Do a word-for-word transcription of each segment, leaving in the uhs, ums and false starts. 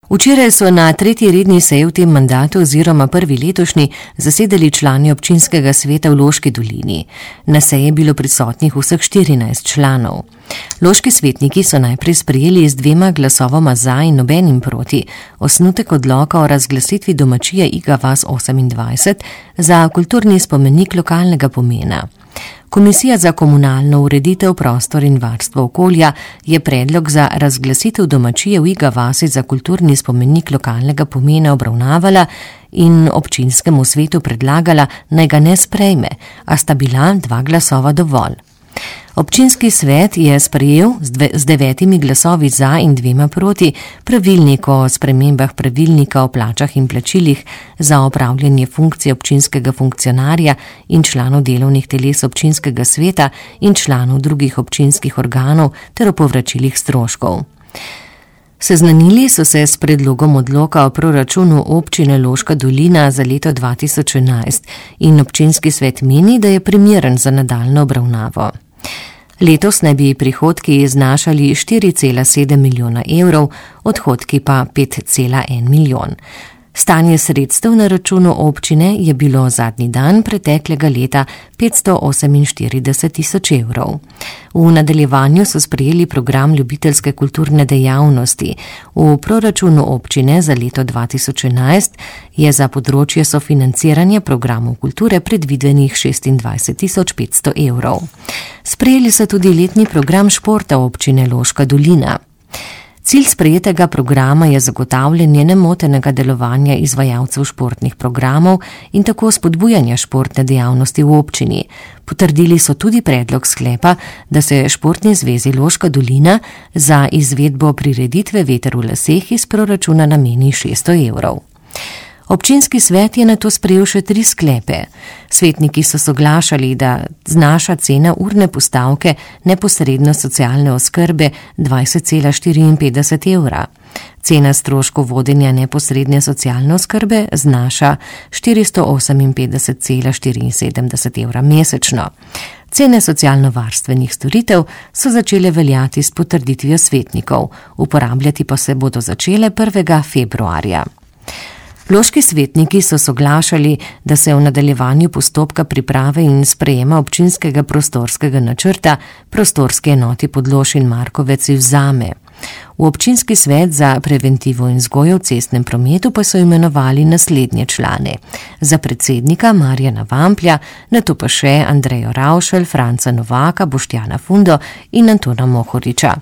Včeraj so na tretji redni seji v tem mandatu oziroma prvi letošnji zasedali člani občinskega sveta v Loški dolini. Na seji je bilo prisotnih vseh štirinajst članov. Loški svetniki so najprej sprejeli z dvema glasovoma za in nobenim proti osnutek odloka o razglasitvi domačije Iga vas osemindvajset za kulturni spomenik lokalnega pomena. Komisija za komunalno ureditev, prostor in varstvo okolja je predlog za razglasitev domačije v Iga vasi za kulturni spomenik lokalnega pomena obravnavala in občinskemu svetu predlagala, naj ga ne sprejme, a sta bila dva glasova dovolj. Občinski svet je sprejel z devetimi glasovi za in dvema proti pravilnik o spremembah pravilnika o plačah in plačilih za opravljanje funkcije občinskega funkcionarja in članov delovnih teles občinskega sveta in članov drugih občinskih organov ter o povračilih stroškov. Seznanili so se s predlogom odloka o proračunu občine Loška dolina za leto dva tisoč enajst in občinski svet meni, da je primeren za nadaljnjo obravnavo. Letos naj bi prihodki znašali štiri cela sedem milijona evrov, odhodki pa pet cela en milijon. Stanje sredstev na računu občine je bilo zadnji dan preteklega leta petsto oseminštirideset tisoč evrov. V nadaljevanju so sprejeli program ljubiteljske kulturne dejavnosti. V proračunu občine za leto dva tisoč enajst je za področje sofinanciranja programov kulture predvidenih šestindvajset tisoč petsto evrov. Sprejeli so tudi letni program športa občine Loška dolina. Cilj sprejetega programa je zagotavljanje nemotenega delovanja izvajalcev športnih programov in tako spodbujanja športne dejavnosti v občini. Potrdili so tudi predlog sklepa, da se Športni zvezi Loška dolina za izvedbo prireditve Veter v laseh iz proračuna nameni šeststo evrov. Občinski svet je nato sprejel še tri sklepe. Svetniki so soglašali, da znaša cena urne postavke neposredno socialne oskrbe dvajset cela štiriinpetdeset evra. Cena stroškov vodenja neposredne socialne oskrbe znaša štiristo oseminpetdeset cela štiriinsedemdeset evra mesečno. Cene socialno-varstvenih storitev so začele veljati s potrditvijo svetnikov, uporabljati pa se bodo začele prvega februarja. Loški svetniki so soglašali, da se v nadaljevanju postopka priprave in sprejema občinskega prostorskega načrta prostorske enoti Podlož in Markovec vzame. V občinski svet za preventivo in vzgojo v cestnem prometu pa so imenovali naslednje člane. Za predsednika Marjana Vamplja, nato pa še Andrejo Ravšelj, Franca Novaka, Boštjana Fundo in Antona Mohoriča.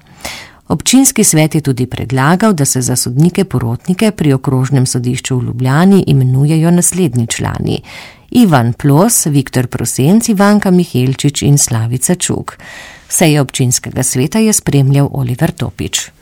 Občinski svet je tudi predlagal, da se za sodnike porotnike pri okrožnem sodišču v Ljubljani imenujejo naslednji člani: Ivan Plos, Viktor Prosenc, Ivanka Mihelčič in Slavica Čuk. Seje občinskega sveta je spremljal Oliver Topič.